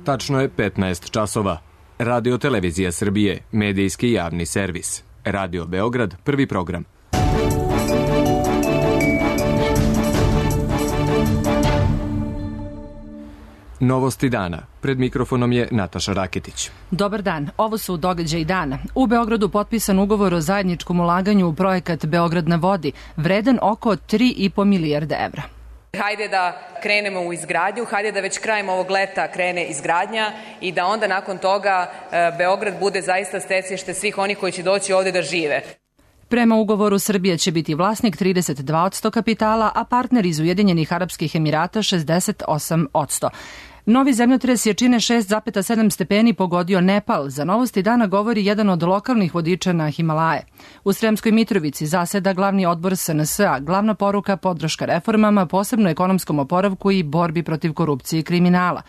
Tačno je 15 časova. Radio Televizija Srbije, medijski javni servis. Radio Beograd, prvi program. Novosti dana. Pred mikrofonom je Nataša Raketić. Dobar dan, ovo su događaji dana. U Beogradu potpisan ugovor o zajedničkom ulaganju u projekat Beograd na vodi, vredan oko 3,5 milijarde evra. Hajde da krenemo u izgradnju, hajde da već krajem ovog leta krene izgradnja i da onda nakon toga Beograd bude zaista stecište svih onih koji će doći ovde da žive. Prema ugovoru Srbija će biti vlasnik 32% kapitala, a partner iz Ujedinjenih Arapskih Emirata 68%. Novi zemljotres jačine 6,7 stepeni pogodio Nepal. Za Novosti dana govori jedan od lokalnih vodiča na Himalaje. U Sremskoj Mitrovici zaseda glavni odbor SNS-a. Glavna poruka podrška reformama, posebno ekonomskom oporavku i borbi protiv korupcije i kriminala.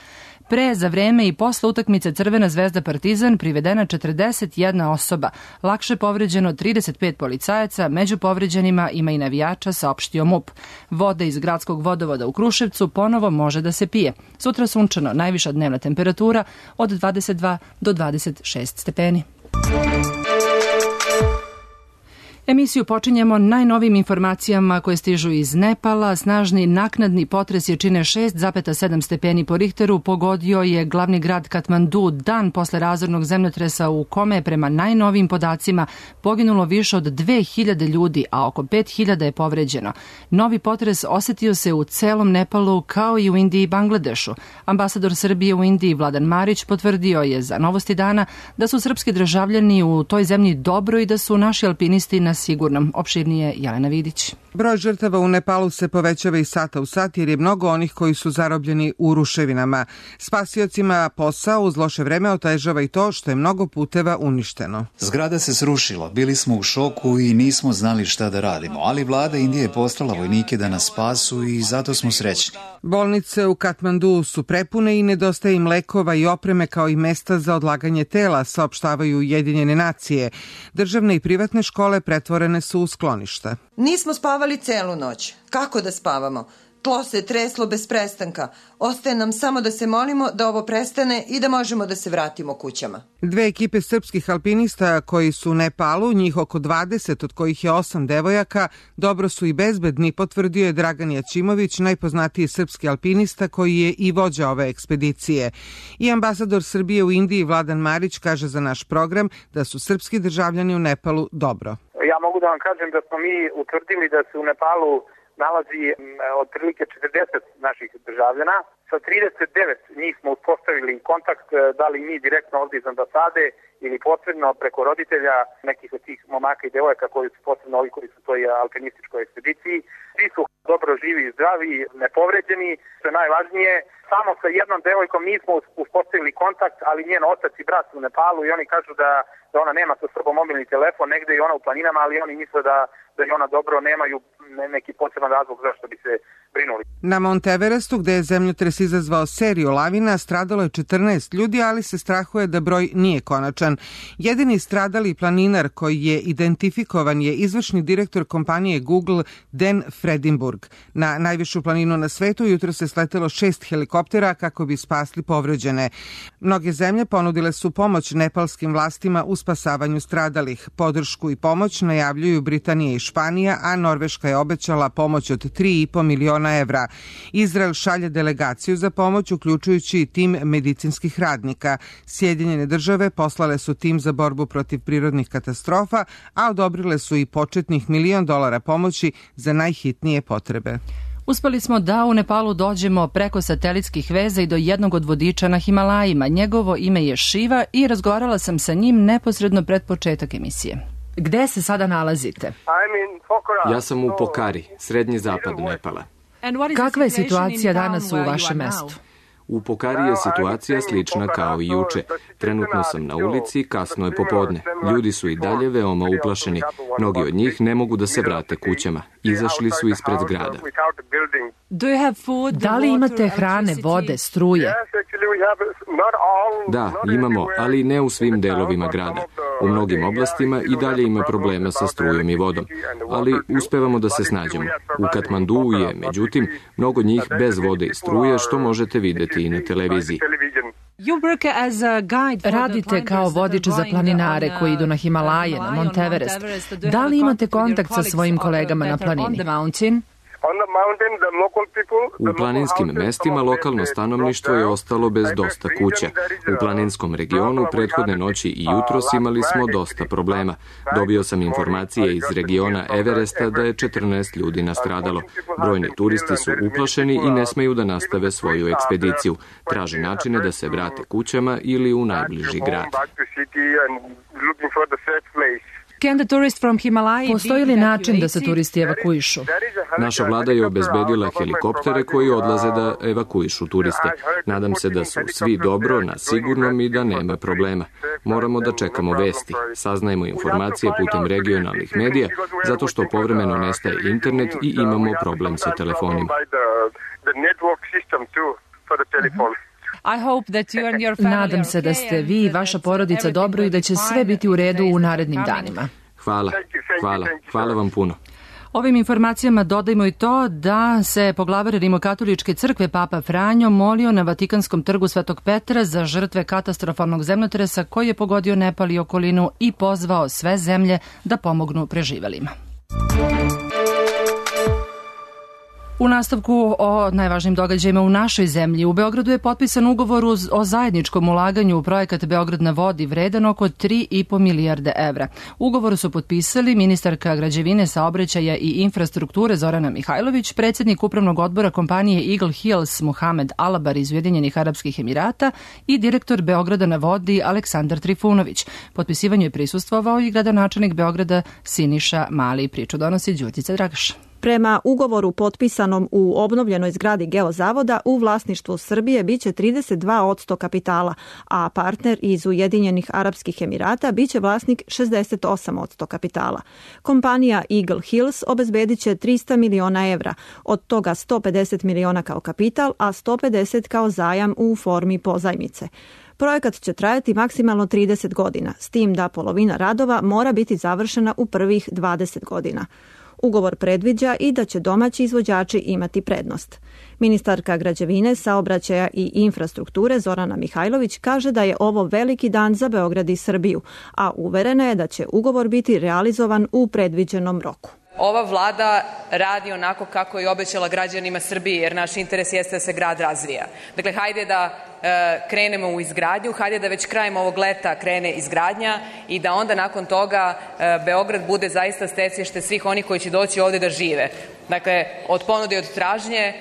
Pre, za vreme i posle utakmice Crvena zvezda Partizan privedena 41 osoba, lakše povređeno 35 policajaca, među povređenima ima i navijača, saopštio MUP. Voda iz gradskog vodovoda u Kruševcu ponovo može da se pije. Sutra sunčano, najviša dnevna temperatura od 22 do 26 stepeni. Emisiju počinjemo najnovijim informacijama koje stižu iz Nepala. Snažni naknadni potres jačine 6,7 stepeni po Richteru pogodio je glavni grad Katmandu dan posle razornog zemljotresa u kome je prema najnovijim podacima poginulo više od 2000 ljudi, a oko 5000 je povređeno. Novi potres osetio se u celom Nepalu kao i u Indiji i Bangladešu. Ambasador Srbije u Indiji Vladan Marić potvrdio je za Novosti dana da su srpski državljani u toj zemlji dobro i da su naši alpinisti na sigurnom. Opširnije Jelena Vidić. Broj žrtava u Nepalu se povećava iz sata u sat jer je mnogo onih koji su zarobljeni u ruševinama. Spasiocima posao uz loše vreme otežava i to što je mnogo puteva uništeno. Zgrada se srušila, bili smo u šoku i nismo znali šta da radimo, ali vlada Indije je poslala vojnike da nas spasu i zato smo srećni. Bolnice u Katmandu su prepune i nedostaje im lekova i opreme kao i mesta za odlaganje tela, saopštavaju Ujedinjene nacije. Državne i privatne škole pretvorene su u skloništa. Nismo spavali celu noć. Kako da spavamo? Tlo se treslo bez prestanka. Ostaje nam samo da se molimo da ovo prestane i da možemo da se vratimo kućama. Dve ekipe srpskih alpinista koji su u Nepalu, njih oko 20, od kojih je 8 devojaka, dobro su i bezbedni, potvrdio je Dragan Jačimović, najpoznatiji srpski alpinista koji je i vođa ove ekspedicije. I ambasador Srbije u Indiji Vladan Marić kaže za naš program da su srpski državljani u Nepalu dobro. Ja mogu da vam kažem da smo mi utvrdili da se u Nepalu nalazi otprilike 40 naših državljana. Sa 39 njih smo uspostavili kontakt, da li mi direktno ovdje iz ambasade ili posredno preko roditelja nekih od tih momaka i devojaka koji su posebno ovi koji su u toj alpinističkoj ekspediciji. Svi su dobro živi i zdravi, nepovređeni, što je najvažnije. Samo sa jednom devojkom nismo uspostavili kontakt, ali njen otac i brat su u Nepalu i oni kažu da ona nema sa sobom mobilni telefon, negde i ona u planinama, ali oni misle da je ona dobro, nemaju neki poseban razlog zašto bi se brinuli. Na Mount Everestu, gde je zemljotres izazvao seriju lavina, stradalo je 14 ljudi, ali se strahuje da broj nije konačan. Jedini stradali planinar koji je identifikovan je izvršni direktor kompanije Google Dan Fredinburg. Na najvišu planinu na svetu jutro se sletelo 6 helikoptera kako bi spasli povređene. Mnoge zemlje ponudile su pomoć nepalskim vlastima u spasavanju stradalih. Podršku i pomoć najavljuju Britanija i Španija, a Norveška je obećala pomoć od 3,5 miliona evra. Izrael šalje delegaciju za pomoć, uključujući i tim medicinskih radnika. Sjedinjene države poslale su tim za borbu protiv prirodnih katastrofa, a odobrile su i početnih $1 milion pomoći za najhitnije potrebe. Uspeli smo da u Nepalu dođemo preko satelitskih veza i do jednog od vodiča na Himalajima. Njegovo ime je Šiva i razgovarala sam sa njim neposredno pred početak emisije. Gde se sada nalazite? Ja sam u Pokari, srednji zapad Nepala. Kakva je situacija danas u vašem mestu? U Pokari je situacija slična kao i juče. Trenutno sam na ulici, kasno je popodne. Ljudi su i dalje veoma uplašeni. Mnogi od njih ne mogu da se vrate kućama. Izašli su ispred grada. Da li imate hrane, vode, struje? Da, imamo, ali ne u svim delovima grada. U mnogim oblastima i dalje ima problema sa strujom i vodom, ali uspevamo da se snađemo. U Katmanduu je, međutim, mnogo njih bez vode i struje, što možete videti i na televiziji. Radite kao vodič za planinare koji idu na Himalaje, na Mount Everest. Da li imate kontakt sa svojim kolegama na planini? U planinskim mestima lokalno stanovništvo je ostalo bez dosta kuća. U planinskom regionu prethodne noći i jutros imali smo dosta problema. Dobio sam informacije iz regiona Everesta da je 14 ljudi nastradalo. Brojni turisti su uplašeni i ne smeju da nastave svoju ekspediciju. Traže načine da se vrate kućama ili u najbliži grad. Postoji li način da se turisti evakuišu? Naša vlada je obezbedila helikoptere koji odlaze da evakuišu turiste. Nadam se da su svi dobro, na sigurnom i da nema problema. Moramo da čekamo vesti. Saznajemo informacije putem regionalnih medija, zato što povremeno nestaje internet i imamo problem sa telefonima. Nadam se da ste vi i vaša porodica dobro i da će sve biti u redu u narednim danima. Hvala vam puno. Ovim informacijama dodajmo i to da se poglavar Rimokatoličke crkve Papa Franjo molio na Vatikanskom trgu Svetog Petra za žrtve katastrofalnog zemljotresa koji je pogodio Nepal i okolinu i pozvao sve zemlje da pomognu preživelima. U nastavku o najvažnijim događajima u našoj zemlji, u Beogradu je potpisan ugovor o zajedničkom ulaganju u projekat Beograd na vodi vredan oko 3,5 milijarde evra. Ugovor su potpisali ministarka građevine, saobraćaja i infrastrukture Zorana Mihajlović, predsjednik upravnog odbora kompanije Eagle Hills Muhamed Alabar iz Ujedinjenih Arapskih Emirata i direktor Beograda na vodi Aleksandar Trifunović. Potpisivanju je prisustvovao i gradonačelnik Beograda Siniša Mali. Priču donosi Đurđica Dragaš. Prema ugovoru potpisanom u obnovljenoj zgradi Geozavoda u vlasništvu Srbije biće 32% kapitala, a partner iz Ujedinjenih Arapskih Emirata biće vlasnik 68% kapitala. Kompanija Eagle Hills obezbedit će 300 miliona evra, od toga 150 miliona kao kapital, a 150 kao zajam u formi pozajmice. Projekat će trajati maksimalno 30 godina, s tim da polovina radova mora biti završena u prvih 20 godina. Ugovor predviđa i da će domaći izvođači imati prednost. Ministarka građevine, saobraćaja i infrastrukture Zorana Mihajlović kaže da je ovo veliki dan za Beograd i Srbiju, a uverena je da će ugovor biti realizovan u predviđenom roku. Ova vlada radi onako kako je obećala građanima Srbije, jer naš interes jeste da se grad razvija. Dakle, hajde da krenemo u izgradnju, hajde da već krajem ovog leta krene izgradnja i da onda nakon toga Beograd bude zaista stecište svih onih koji će doći ovde da žive. Dakle, od ponude i od tražnje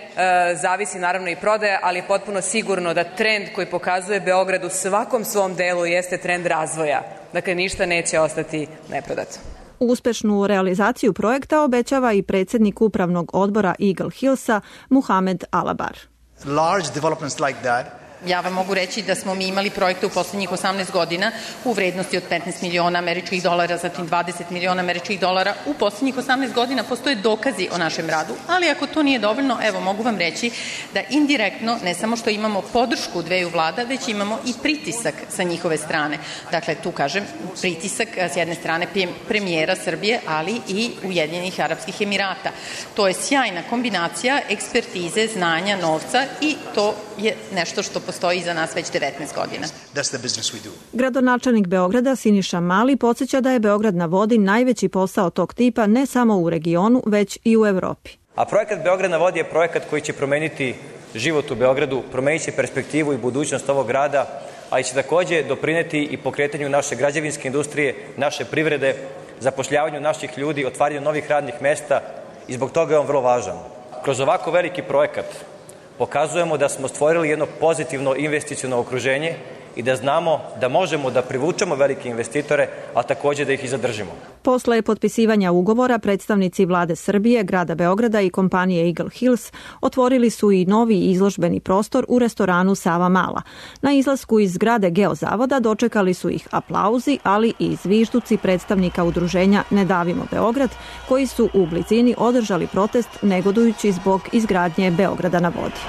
zavisi naravno i prodaja, ali je potpuno sigurno da trend koji pokazuje Beograd u svakom svom delu jeste trend razvoja. Dakle, ništa neće ostati neprodato. Uspešnu realizaciju projekta obećava i predsjednik upravnog odbora Eagle Hillsa Muhamed Alabar. Large developments like that. Ja vam mogu reći da smo mi imali projekte u poslednjih 18 godina u vrednosti od 15 miliona američkih dolara, zatim 20 miliona američkih dolara. U poslednjih 18 godina postoje dokazi o našem radu, ali ako to nije dovoljno, evo mogu vam reći da indirektno ne samo što imamo podršku dveju vlada, već imamo i pritisak sa njihove strane. Dakle, tu kažem pritisak s jedne strane premijera Srbije, ali i Ujedinjenih Arapskih Emirata. To je sjajna kombinacija ekspertize, znanja, novca i to je nešto što postoji za nas već 19 godina. Gradonačelnik Beograda Siniša Mali podsjeća da je Beograd na vodi najveći posao tog tipa ne samo u regionu, već i u Evropi. A projekat Beograd na vodi je projekat koji će promeniti život u Beogradu, promenit će perspektivu i budućnost ovog grada, ali će takođe doprineti i pokretanju naše građevinske industrije, naše privrede, zapošljavanju naših ljudi, otvaranju novih radnih mesta i zbog toga je on vrlo važan. Kroz ovako veliki projekat pokazujemo da smo stvorili jedno pozitivno investiciono okruženje i da znamo da možemo da privučemo velike investitore, a takođe da ih i zadržimo. Posle potpisivanja ugovora, predstavnici vlade Srbije, grada Beograda i kompanije Eagle Hills otvorili su i novi izložbeni prostor u restoranu Sava Mala. Na izlasku iz zgrade Geozavoda dočekali su ih aplauzi, ali i zvižduci predstavnika udruženja Ne davimo Beograd, koji su u blizini održali protest negodujući zbog izgradnje Beograda na vodi.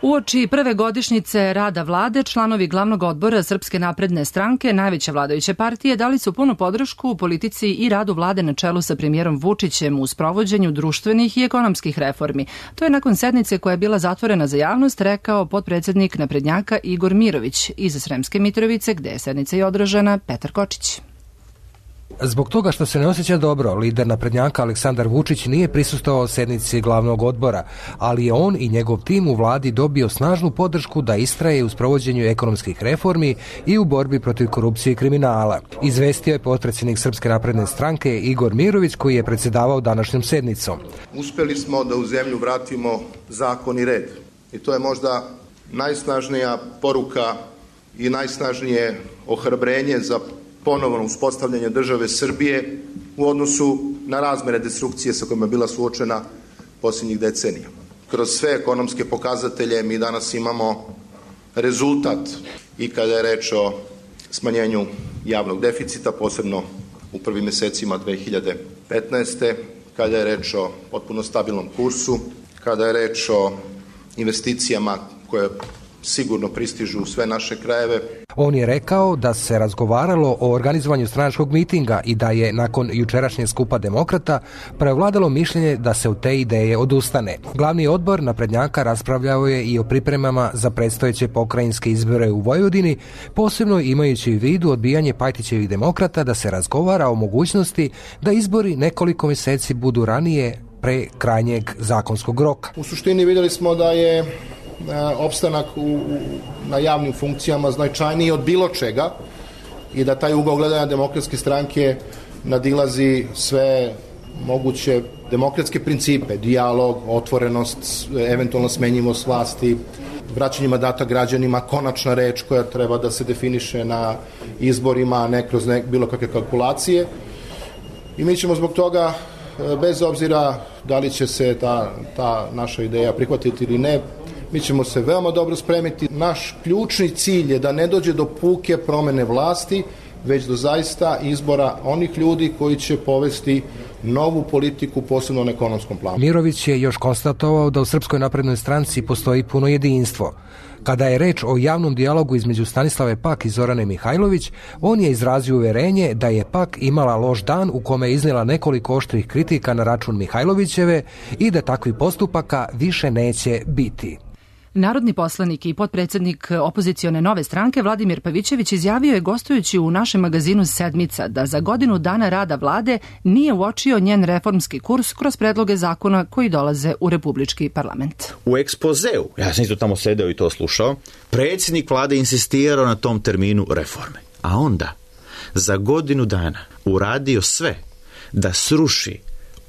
Uoči prve godišnjice rada vlade, članovi glavnog odbora Srpske napredne stranke, najveće vladajuće partije, dali su punu podršku u politici i radu vlade na čelu sa premijerom Vučićem u sprovođenju društvenih i ekonomskih reformi. To je nakon sednice koja je bila zatvorena za javnost rekao potpredsednik naprednjaka Igor Mirović. Iz Sremske Mitrovice, gde je sednica i održana, Petar Kočić. Zbog toga što se ne osjeća dobro, lider naprednjaka Aleksandar Vučić nije prisustvovao sednici glavnog odbora, ali je on i njegov tim u vladi dobio snažnu podršku da istraje u sprovođenju ekonomskih reformi i u borbi protiv korupcije i kriminala. Izvestio je potpredsjednik Srpske napredne stranke Igor Mirović, koji je predsjedavao današnjom sednicom. Uspjeli smo da u zemlju vratimo zakon i red. I to je možda najsnažnija poruka i najsnažnije ohrabrenje za ponovno uspostavljanje države Srbije u odnosu na razmere destrukcije sa kojima je bila suočena posljednjih decenija. Kroz sve ekonomske pokazatelje mi danas imamo rezultat i kada je reč o smanjenju javnog deficita, posebno u prvim mjesecima 2015. Kada je reč o potpuno stabilnom kursu, kada je reč o investicijama koje sigurno pristižu u sve naše krajeve. On je rekao da se razgovaralo o organizovanju stranačkog mitinga i da je nakon jučerašnjeg skupa demokrata prevladalo mišljenje da se od te ideje odustane. Glavni odbor naprednjaka raspravljao je i o pripremama za predstojeće pokrajinske izbore u Vojvodini, posebno imajući u vidu odbijanje Pajtićevih demokrata da se razgovara o mogućnosti da izbori nekoliko mjeseci budu ranije pre krajnjeg zakonskog roka. U suštini vidjeli smo da je opstanak na javnim funkcijama značajniji od bilo čega i da taj ugao gledanja demokratske stranke nadilazi sve moguće demokratske principe, dijalog, otvorenost, eventualno smenjivost vlasti, vraćanje mandata građanima, konačna reč koja treba da se definiše na izborima, a ne kroz bilo kakve kalkulacije. I mi ćemo zbog toga, bez obzira da li će se ta naša ideja prihvatiti ili ne, mi ćemo se veoma dobro spremiti. Naš ključni cilj je da ne dođe do puke promene vlasti, već do zaista izbora onih ljudi koji će povesti novu politiku, posebno na ekonomskom planu. Mirović je još konstatovao da u Srpskoj naprednoj stranci postoji puno jedinstvo. Kada je reč o javnom dijalogu između Stanislave Pak i Zorane Mihajlović, on je izrazio uverenje da je Pak imala loš dan u kome je iznijela nekoliko oštrih kritika na račun Mihajlovićeve i da takvih postupaka više neće biti. Narodni poslanik i potpredsjednik opozicione Nove stranke Vladimir Pavićević izjavio je gostujući u našem magazinu Sedmica da za godinu dana rada vlade nije uočio njen reformski kurs kroz predloge zakona koji dolaze u Republički parlament. U ekspozeu, ja sam isto tamo sedeo i to slušao, predsjednik vlade insistirao na tom terminu reforme. A onda, za godinu dana uradio sve da sruši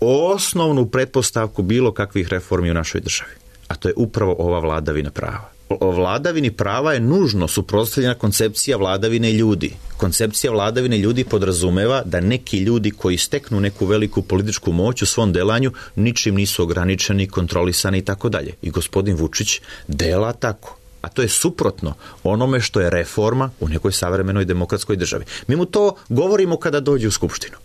osnovnu pretpostavku bilo kakvih reformi u našoj državi. A to je upravo ova vladavina prava. O vladavini prava je nužno suprotstavljena koncepcija vladavine ljudi. Koncepcija vladavine ljudi podrazumeva da neki ljudi koji steknu neku veliku političku moć u svom delanju ničim nisu ograničeni, kontrolisani i tako dalje. I gospodin Vučić dela tako. A to je suprotno onome što je reforma u nekoj savremenoj demokratskoj državi. Mi mu to govorimo kada dođe u Skupštinu.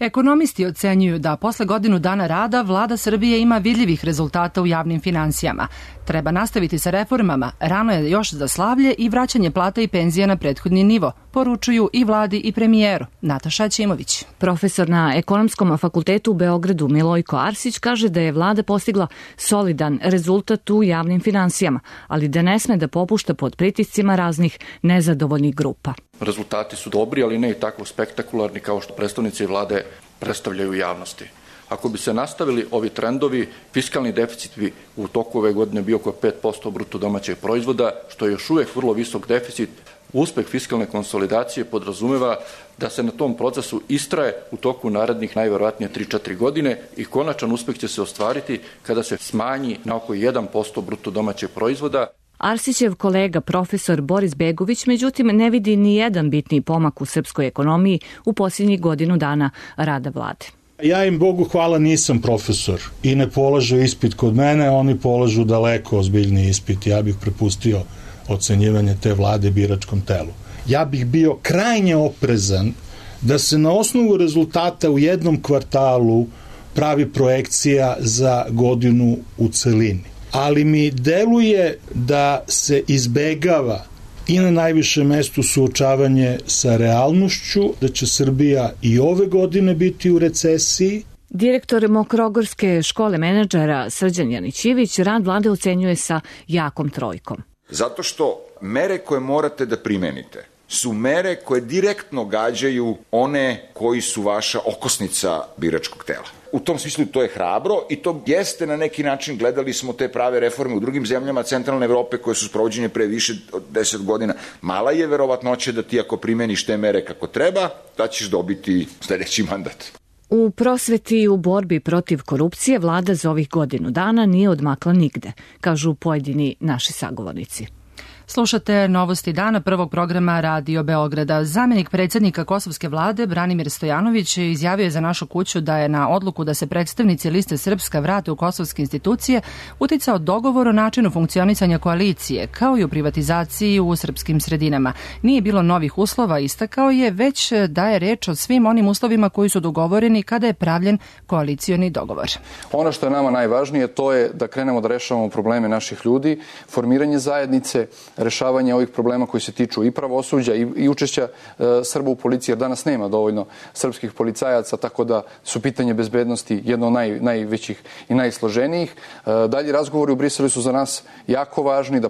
Ekonomisti ocenjuju da posle godinu dana rada vlada Srbije ima vidljivih rezultata u javnim finansijama. Treba nastaviti sa reformama, rano je još za slavlje i vraćanje plata i penzija na prethodni nivo, poručuju i vladi i premijeru. Nataša Ćimović. Profesor na Ekonomskom fakultetu u Beogradu Milojko Arsić kaže da je vlada postigla solidan rezultat u javnim finansijama, ali da ne sme da popušta pod pritiscima raznih nezadovoljnih grupa. Rezultati su dobri, ali ne i tako spektakularni kao što predstavnici vlade predstavljaju javnosti. Ako bi se nastavili ovi trendovi, fiskalni deficit bi u toku ove godine bio oko 5% bruto domaćeg proizvoda, što je još uvijek vrlo visok deficit. Uspeh fiskalne konsolidacije podrazumeva da se na tom procesu istraje u toku narednih najverovatnije 3-4 godine i konačan uspeh će se ostvariti kada se smanji na oko 1% bruto domaćeg proizvoda. Arsićev kolega profesor Boris Begović međutim ne vidi ni jedan bitni pomak u srpskoj ekonomiji u posljednjih godinu dana rada vlade. Ja im Bogu hvala nisam profesor i ne polažu ispit kod mene, oni polažu daleko ozbiljniji ispit. Ja bih prepustio ocenjivanje te vlade biračkom telu. Ja bih bio krajnje oprezan da se na osnovu rezultata u jednom kvartalu pravi projekcija za godinu u celini. ali mi deluje da se izbegava i na najvišem mestu suočavanje sa realnošću, da će Srbija i ove godine biti u recesiji. Direktor Mokrogorske škole menadžera Srđan Janićivić rad vlade ocenjuje sa jakom trojkom. Zato što mere koje morate da primenite su mere koje direktno gađaju one koji su vaša okosnica biračkog tela. U tom smislu to je hrabro i to jeste na neki način, gledali smo te prave reforme u drugim zemljama centralne Evrope koje su sprovođene pre više od 10 godina. Mala je verovatnoća da ti ako primeniš te mere kako treba, da ćeš dobiti sledeći mandat. U prosveti i u borbi protiv korupcije vlada za ovih godinu dana nije odmakla nigde, kažu pojedini naši sagovornici. Slušate Novosti dana prvog programa Radio Beograda. Zamenik predsjednika kosovske vlade Branimir Stojanović izjavio je za Našu kuću da je na odluku da se predstavnici liste Srpska vrate u kosovske institucije uticao dogovor o načinu funkcionisanja koalicije, kao i o privatizaciji u srpskim sredinama. Nije bilo novih uslova, istakao je, već da je reč o svim onim uslovima koji su dogovoreni kada je pravljen koalicioni dogovor. Ono što je nama najvažnije to je da krenemo da rešavamo probleme naših ljudi, formiranje zajednice, rešavanje ovih problema koji se tiču i pravosuđa i učešća Srba u policiji, jer danas nema dovoljno srpskih policajaca, tako da su pitanje bezbednosti jedno od najvećih i najsloženijih. Dalji razgovori u Briselu su za nas jako važni, da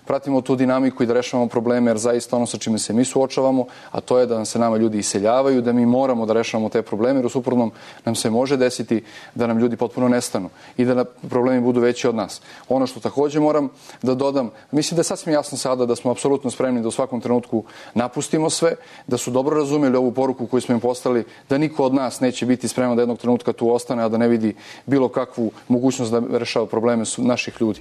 pratimo tu dinamiku i da rešavamo probleme, jer zaista ono sa čime se mi suočavamo, a to je da nam se nama ljudi iseljavaju, da mi moramo da rešavamo te probleme, jer u suprotnom nam se može desiti da nam ljudi potpuno nestanu i da problemi budu veći od nas. Ono što takođe moram da dodam, mislim da je sasvim jasno sada da smo apsolutno spremni da u svakom trenutku napustimo sve, da su dobro razumeli ovu poruku koju smo im poslali, da niko od nas neće biti spreman da jednog trenutka tu ostane, a da ne vidi bilo kakvu mogućnost da rešava probleme naših ljudi.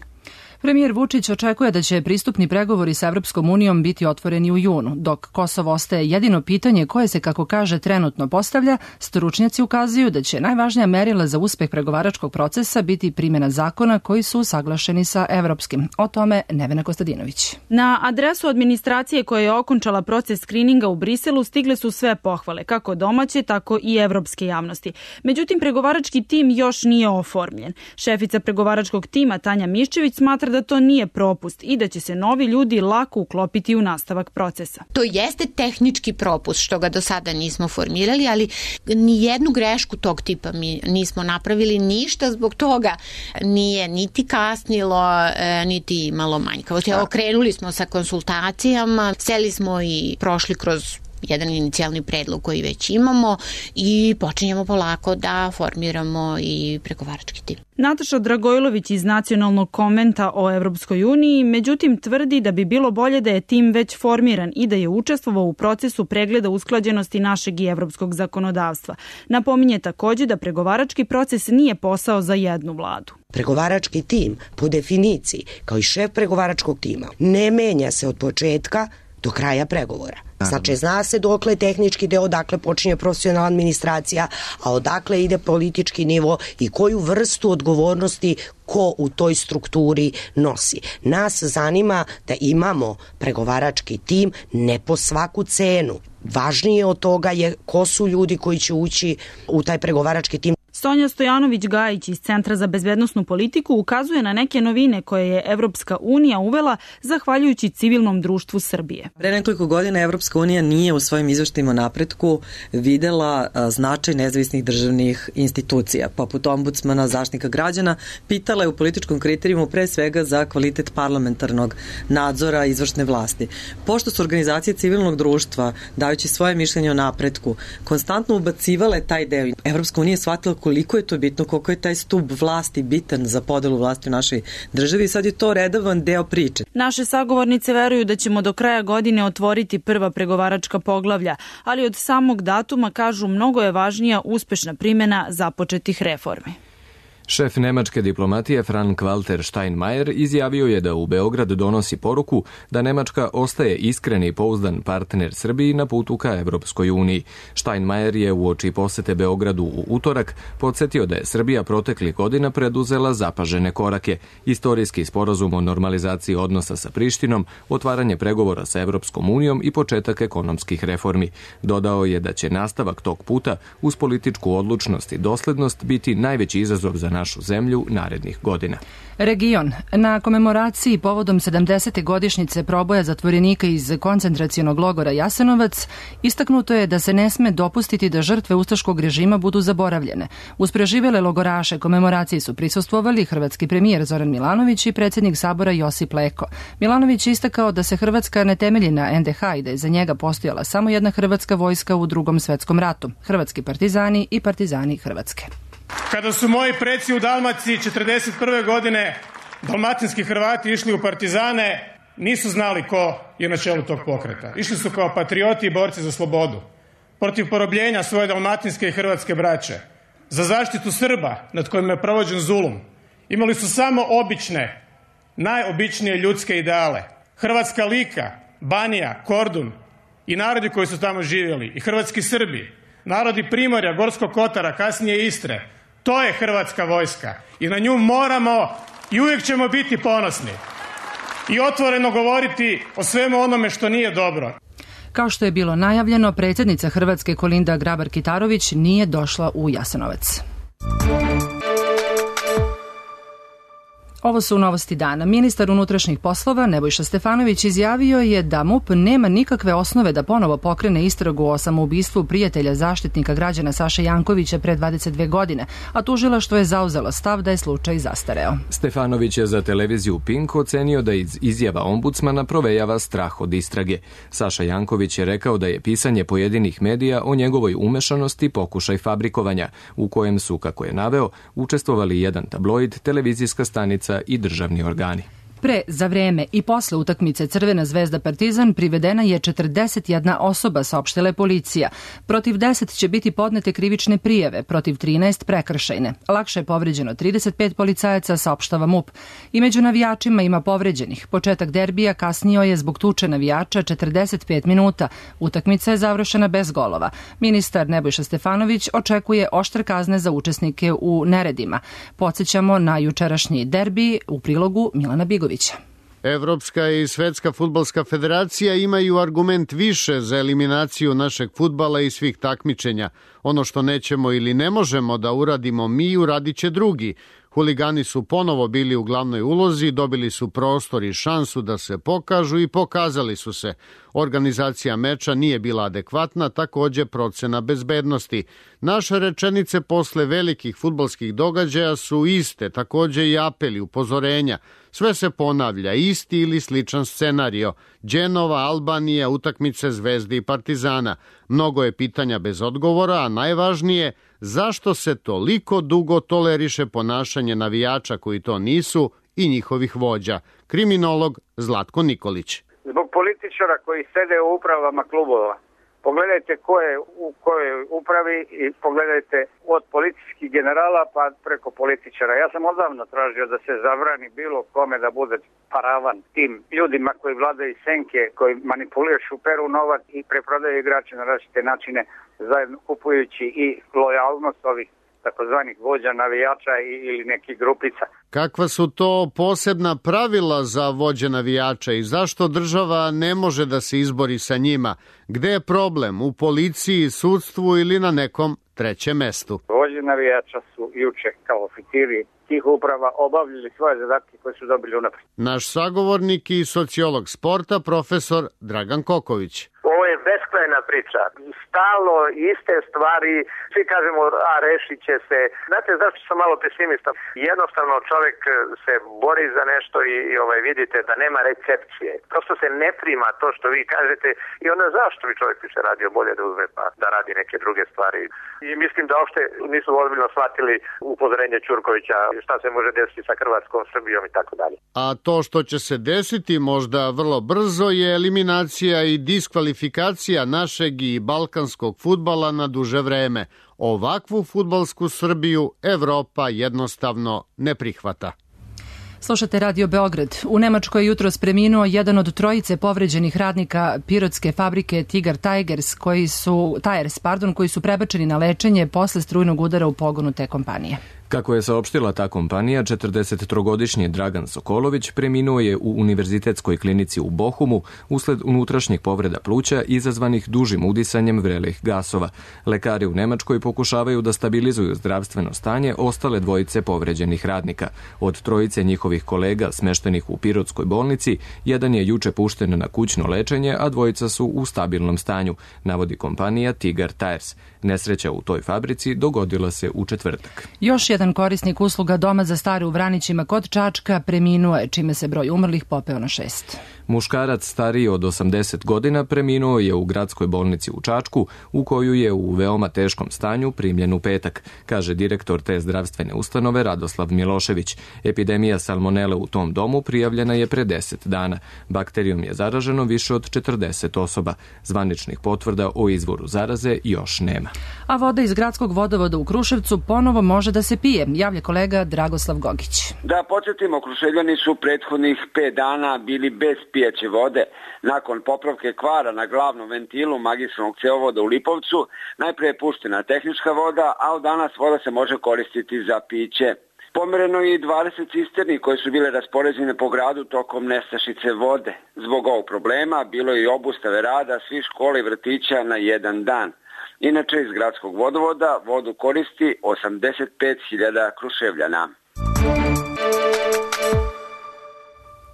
Premijer Vučić očekuje da će pristupni pregovori sa Evropskom unijom biti otvoreni u junu. Dok Kosovo ostaje jedino pitanje koje se, kako kaže, trenutno postavlja, stručnjaci ukazuju da će najvažnija merila za uspeh pregovaračkog procesa biti primjena zakona koji su usaglašeni sa evropskim. O tome Nevena Kostadinović. Na adresu administracije koja je okončala proces skrininga u Briselu stigle su sve pohvale, kako domaće, tako i evropske javnosti. Međutim, pregovarački tim još nije oformljen. Šefica pregovaračkog tima Tanja Miščević smatra da to nije propust i da će se novi ljudi lako uklopiti u nastavak procesa. To jeste tehnički propust što ga do sada nismo formirali, ali ni jednu grešku tog tipa mi nismo napravili, ništa zbog toga nije niti kasnilo, niti imalo manjkavosti. Krenuli smo sa konsultacijama, seli smo i prošli kroz jedan inicijalni predlog koji već imamo i počinjemo polako da formiramo i pregovarački tim. Nataša Dragojlović iz Nacionalnog konventa o Evropskoj uniji, međutim tvrdi da bi bilo bolje da je tim već formiran i da je učestvovao u procesu pregleda usklađenosti našeg i evropskog zakonodavstva. Napominje takođe da pregovarački proces nije posao za jednu vladu. Pregovarački tim, po definiciji, kao i šef pregovaračkog tima, ne menja se od početka do kraja pregovora. Znači, zna se dokle tehnički deo, odakle počinje profesionalna administracija, a odakle ide politički nivo i koju vrstu odgovornosti ko u toj strukturi nosi. Nas zanima da imamo pregovarački tim ne po svaku cenu. Važnije od toga je ko su ljudi koji će ući u taj pregovarački tim. Sonja Stojanović-Gajić iz Centra za bezbednosnu politiku ukazuje na neke novine koje je Evropska unija uvela zahvaljujući civilnom društvu Srbije. Pre nekoliko godina Evropska unija nije u svojim izveštajima o napretku videla značaj nezavisnih državnih institucija, poput ombudsmana, zaštitnika građana, pitala je u političkom kriterijumu pre svega za kvalitet parlamentarnog nadzora izvršne vlasti. Pošto su organizacije civilnog društva, dajući svoje mišljenje o napretku, konstantno ubacivale taj deo, Evropska unija je shvatila koliko je to bitno, koliko je taj stub vlasti bitan za podelu vlasti u našoj državi i sad je to redovan deo priče. Naše sagovornice veruju da ćemo do kraja godine otvoriti prva pregovaračka poglavlja, ali od samog datuma, kažu, mnogo je važnija uspešna primjena započetih reformi. Šef nemačke diplomatije Frank-Walter Steinmeier izjavio je da u Beograd donosi poruku da Nemačka ostaje iskren i pouzdan partner Srbiji na putu ka Evropskoj uniji. Steinmeier je uoči posete Beogradu u utorak podsjetio da je Srbija proteklih godina preduzela zapažene korake, istorijski sporazum o normalizaciji odnosa sa Prištinom, otvaranje pregovora sa Evropskom unijom i početak ekonomskih reformi. Dodao je da će nastavak tog puta uz političku odlučnost i doslednost biti najveći izazov za našu zemlju narednih godina. Region. Na komemoraciji povodom 70. godišnjice proboja zatvorenika iz koncentracionog logora Jasenovac istaknuto je da se ne sme dopustiti da žrtve ustaškog režima budu zaboravljene. Uz preživele logoraše komemoraciji su prisustvovali hrvatski premijer Zoran Milanović i predsjednik Sabora Josip Leko. Milanović je istakao da se Hrvatska ne temelji na NDH i da je za njega postojala samo jedna hrvatska vojska u Drugom svetskom ratu, hrvatski partizani i partizani Hrvatske. Kada su moji preci u Dalmaciji 1941. godine dalmatinski Hrvati išli u partizane, nisu znali ko je na čelu tog pokreta. Išli su kao patrioti i borci za slobodu, protiv porobljenja svoje dalmatinske i hrvatske braće, za zaštitu Srba nad kojima je provođen zulum. Imali su samo obične, najobičnije ljudske ideale. Hrvatska Lika, Banija, Kordun i narodi koji su tamo živjeli, i hrvatski Srbi, narodi Primorja, Gorskog Kotara, kasnije Istre. To je hrvatska vojska i na nju moramo i uvijek ćemo biti ponosni i otvoreno govoriti o svemu onome što nije dobro. Kao što je bilo najavljeno, predsjednica Hrvatske Kolinda Grabar-Kitarović nije došla u Jasenovac. Ovo su novosti dana. Ministar unutrašnjih poslova Nebojša Stefanović izjavio je da MUP nema nikakve osnove da ponovo pokrene istragu o samoubistvu prijatelja zaštitnika građana Saše Jankovića pre 22 godine, a tužilaštvo je zauzelo stav da je slučaj zastareo. Stefanović je za televiziju Pink ocenio da iz izjava ombudsmana provejava strah od istrage. Saša Janković je rekao da je pisanje pojedinih medija o njegovoj umešanosti pokušaj fabrikovanja, u kojem su, kako je naveo, učestvovali jedan tabloid, televizijska stanica i državni organi. Pre, za vreme i posle utakmice Crvena zvezda Partizan privedena je 41 osoba, saopštila je policija. Protiv 10 će biti podnete krivične prijave, protiv 13 prekršajne. Lakše je povređeno 35 policajaca, saopštava MUP. I među navijačima ima povređenih. Početak derbija kasnio je zbog tuče navijača 45 minuta. Utakmica je završena bez golova. Ministar Nebojša Stefanović očekuje oštre kazne za učesnike u neredima. Podsjećamo na jučerašnji derbi u prilogu Milana Bigovića. Evropska i Svetska fudbalska federacija imaju argument više za eliminaciju našeg fudbala i svih takmičenja. Ono što nećemo ili ne možemo da uradimo mi, uradit će drugi. Huligani su ponovo bili u glavnoj ulozi, dobili su prostor i šansu da se pokažu i pokazali su se. Organizacija meča nije bila adekvatna, takođe procena bezbednosti. Naše rečenice posle velikih fudbalskih događaja su iste, takođe i apeli, upozorenja. Sve se ponavlja, isti ili sličan scenario. Dženova, Albanija, utakmice Zvezde i Partizana. Mnogo je pitanja bez odgovora, a najvažnije, zašto se toliko dugo toleriše ponašanje navijača koji to nisu i njihovih vođa? Kriminolog Zlatko Nikolić. Zbog političara koji sede u upravama klubova. Pogledajte ko je u kojoj upravi i pogledajte od policijskih generala pa preko političara. Ja sam odavno tražio da se zabrani bilo kome da bude paravan tim ljudima koji vladaju senke, koji manipulišu, peru novac i preprodaju igrače na različite načine, zajedno kupujući i lojalnost ovih takozvanih vođa, navijača ili nekih grupica. Kakva su to posebna pravila za vođe navijača i zašto država ne može da se izbori sa njima? Gde je problem? U policiji, sudstvu ili na nekom trećem mestu? Vođe navijača su juče kao oficiri tih uprava obavljali svoje zadatke koje su dobili unaprijed. Naš sagovornik i sociolog sporta, profesor Dragan Koković. Ovo je beskrajna priča. Stalno iste stvari, svi kažemo, a rešit će se. Znate zašto sam malo pesimista? Jednostavno čovjek se bori za nešto i vidite da nema recepcije. Prosto se ne prima to što vi kažete i onda zašto bi čovjek više radio, bolje da uzme pa da radi neke druge stvari. I mislim da uopšte nisu ozbiljno shvatili upozorenje Ćurkovića šta se može desiti sa Hrvatskom, Srbijom i tako dalje. A to što će se desiti možda vrlo brzo je eliminacija i diskvalifikacija našeg i balkanskog fudbala na duže vreme. Ovakvu fudbalsku Srbiju Evropa jednostavno ne prihvata. Slušate Radio Beograd. U Nemačkoj je jutros preminuo jedan od trojice povređenih radnika pirotske fabrike Tigar Tires koji su prebačeni na lečenje posle strujnog udara u pogonu te kompanije. Kako je saopštila ta kompanija, 43-godišnji Dragan Sokolović preminuo je u univerzitetskoj klinici u Bohumu usled unutrašnjih povreda pluća izazvanih dužim udisanjem vrelih gasova. Lekari u Nemačkoj pokušavaju da stabilizuju zdravstveno stanje ostale dvojice povređenih radnika. Od trojice njihovih kolega smeštenih u Pirotskoj bolnici, jedan je juče pušten na kućno lečenje, a dvojica su u stabilnom stanju, navodi kompanija Tigar Tires. Nesreća u toj fabrici dogodila se u četvrtak. Još jedan korisnik usluga Doma za stare u Vranićima kod Čačka preminuo je, čime se broj umrlih popeo na 6. Muškarac stariji od 80 godina preminuo je u gradskoj bolnici u Čačku, u koju je u veoma teškom stanju primljen u petak, kaže direktor te zdravstvene ustanove Radoslav Milošević. Epidemija salmonele u tom domu prijavljena je pre 10 dana. Bakterijom je zaraženo više od 40 osoba. Zvaničnih potvrda o izvoru zaraze još nema. A voda iz gradskog vodovoda u Kruševcu ponovo može da se pije, javlja kolega Dragoslav Gogić. Da podsjetimo, Kruševljani su prethodnih 5 dana bili bez pijaće vode. Nakon popravke kvara na glavnom ventilu magistralnog cevovoda u Lipovcu, najpre je puštena tehnička voda, a od danas voda se može koristiti za piće. Pomereno je i 20 cisterni koje su bile raspoređene po gradu tokom nestašice vode. Zbog ovog problema bilo je i obustave rada svih škola i vrtića na jedan dan. Inače, iz gradskog vodovoda vodu koristi 85.000 Kruševljana.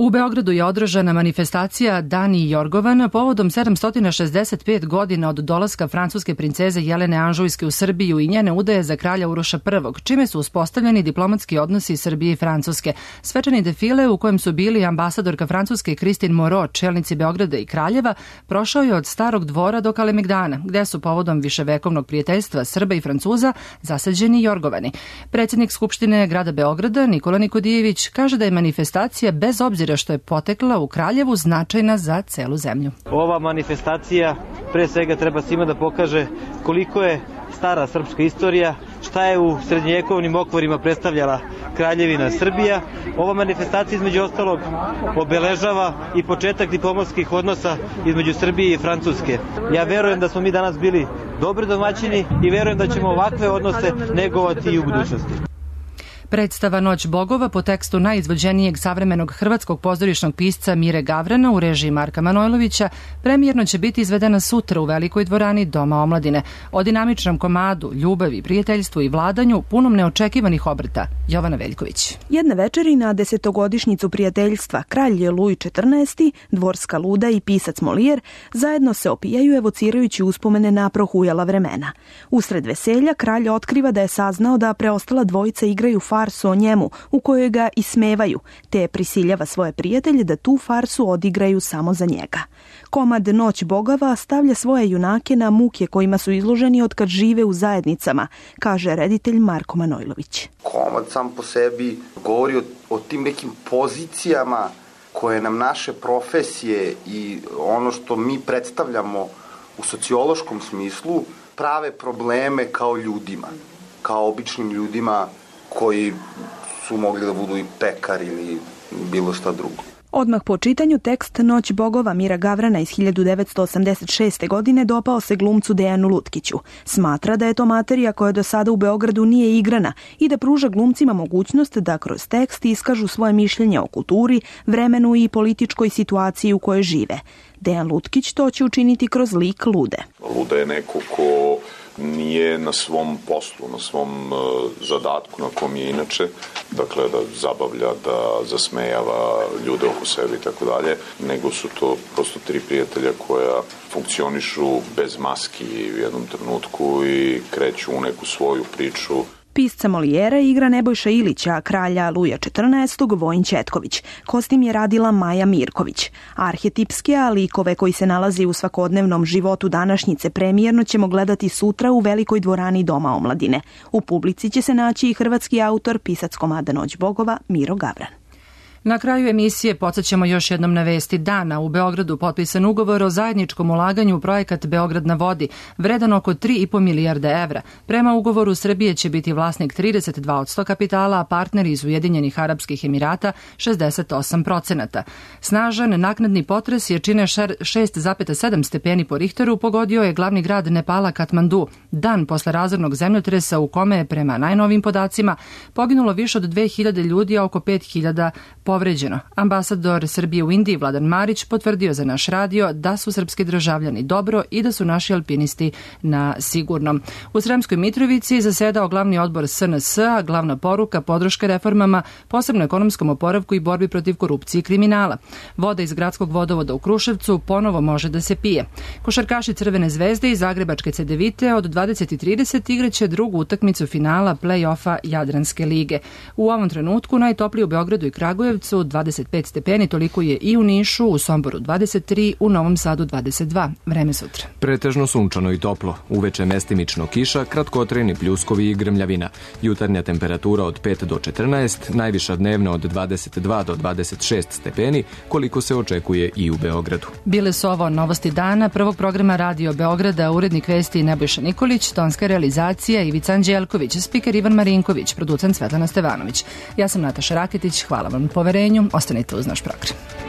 U Beogradu je održana manifestacija Dani Jorgovana povodom 765 godina od dolaska francuske princeze Jelene Anžujske u Srbiju i njene udaje za kralja Uroša I, čime su uspostavljeni diplomatski odnosi Srbije i Francuske. Svečani defile u kojem su bili ambasadorka Francuske Kristin Moreau, čelnici Beograda i Kraljeva, prošao je od Starog dvora do Kalemegdana, gde su povodom viševekovnog prijateljstva Srba i Francuza zasađeni Jorgovani. Predsjednik Skupštine grada Beograda Nikola Nikodijević kaže da je manifestacija bez obzira što je potekla u Kraljevu značajna za celu zemlju. Ova manifestacija pre svega treba svima da pokaže koliko je stara srpska istorija, šta je u srednjevjekovnim okvirima predstavljala Kraljevina Srbija. Ova manifestacija između ostalog obeležava i početak diplomatskih odnosa između Srbije i Francuske. Ja verujem da smo mi danas bili dobri domaćini i verujem da ćemo ovakve odnose negovati i u budućnosti. Predstava Noć bogova po tekstu najizvođenijeg savremenog hrvatskog pozorišnog pisca Mire Gavrana u režiji Marka Manojlovića premijerno će biti izvedena sutra u Velikoj dvorani Doma omladine. O dinamičnom komadu, ljubavi, prijateljstvu i vladanju punom neočekivanih obrta. Jovana Veljković. Jedna večeri na 10-godišnjicu prijateljstva kralj Luj XIV, dvorska luda i pisac Molijer zajedno se opijaju evocirajući uspomene na prohujala vremena. Usred veselja kralj otkriva da je saznao da preostala dvojica igraju farsu o njemu, u kojoj ga ismevaju, te prisiljava svoje prijatelje da tu farsu odigraju samo za njega. Komad Noć bogova stavlja svoje junake na muke kojima su izloženi od kad žive u zajednicama, kaže reditelj Marko Manojlović. Komad sam po sebi govori o tim nekim pozicijama koje nam naše profesije i ono što mi predstavljamo u sociološkom smislu prave probleme kao ljudima, kao običnim ljudima koji su mogli da budu i pekar ili bilo šta drugo. Odmah po čitanju tekst Noć bogova Mira Gavrana iz 1986. godine dopao se glumcu Dejanu Lutkiću. Smatra da je to materija koja do sada u Beogradu nije igrana i da pruža glumcima mogućnost da kroz tekst iskažu svoje mišljenje o kulturi, vremenu i političkoj situaciji u kojoj žive. Dejan Lutkić to će učiniti kroz lik Lude. Luda je neko ko nije na svom poslu, na svom zadatku na kom je inače, dakle da zabavlja, da zasmejava ljude oko sebe i tako dalje, nego su to prosto tri prijatelja koja funkcionišu bez maski u jednom trenutku i kreću u neku svoju priču. Pisca Molijera igra Nebojša Ilića, a kralja Luja XIV. Vojin Ćetković. Kostim je radila Maja Mirković. Arhetipske, a likove koji se nalazi u svakodnevnom životu današnjice premijerno ćemo gledati sutra u Velikoj dvorani Doma omladine. U publici će se naći i hrvatski autor, pisac komada Noć bogova Miro Gavran. Na kraju emisije podsjećamo još jednom na vesti dana. U Beogradu potpisan ugovor o zajedničkom ulaganju u projekat Beograd na vodi, vredan oko 3,5 milijarde evra. Prema ugovoru Srbije će biti vlasnik 32% kapitala, a partneri iz Ujedinjenih Arapskih Emirata 68%. Snažan naknadni potres jačine 6,7 stepeni po Richteru pogodio je glavni grad Nepala Katmandu, dan posle razornog zemljotresa u kome je prema najnovim podacima poginulo više od 2000 ljudi, a oko 5000 povređeno. Ambasador Srbije u Indiji Vladan Marić potvrdio za naš radio da su srpski državljani dobro i da su naši alpinisti na sigurnom. U Sremskoj Mitrovici zasedao glavni odbor SNS, a glavna poruka podrška reformama, posebno ekonomskom oporavku i borbi protiv korupcije i kriminala. Voda iz gradskog vodovoda u Kruševcu ponovo može da se pije. Košarkaši Crvene zvezde i Zagrebačke Cedevite od 20:30 igraće drugu utakmicu finala play-offa Jadranske lige. U ovom trenutku najtoplije u Beogradu i Kragujevcu 25 stepeni, toliko je i u Nišu, u Somboru 23, u Novom Sadu 22. Vreme sutra. Pretežno sunčano i toplo, uveče mestimično kiša, kratkotrajni pljuskovi i grmljavina. Jutarnja temperatura od 5 do 14, najviša dnevna od 22 do 26 stepeni, koliko se očekuje i u Beogradu. Bile su ovo novosti dana prvog programa Radio Beograda, urednik vesti Nebojša Nikolić, tonska realizacija Ivica Anđelković, spiker Ivan Marinković, producent Svetlana Stevanović. Ja sam Nataša Raketić, hvala vam na poverenju, ostanite uz naš program.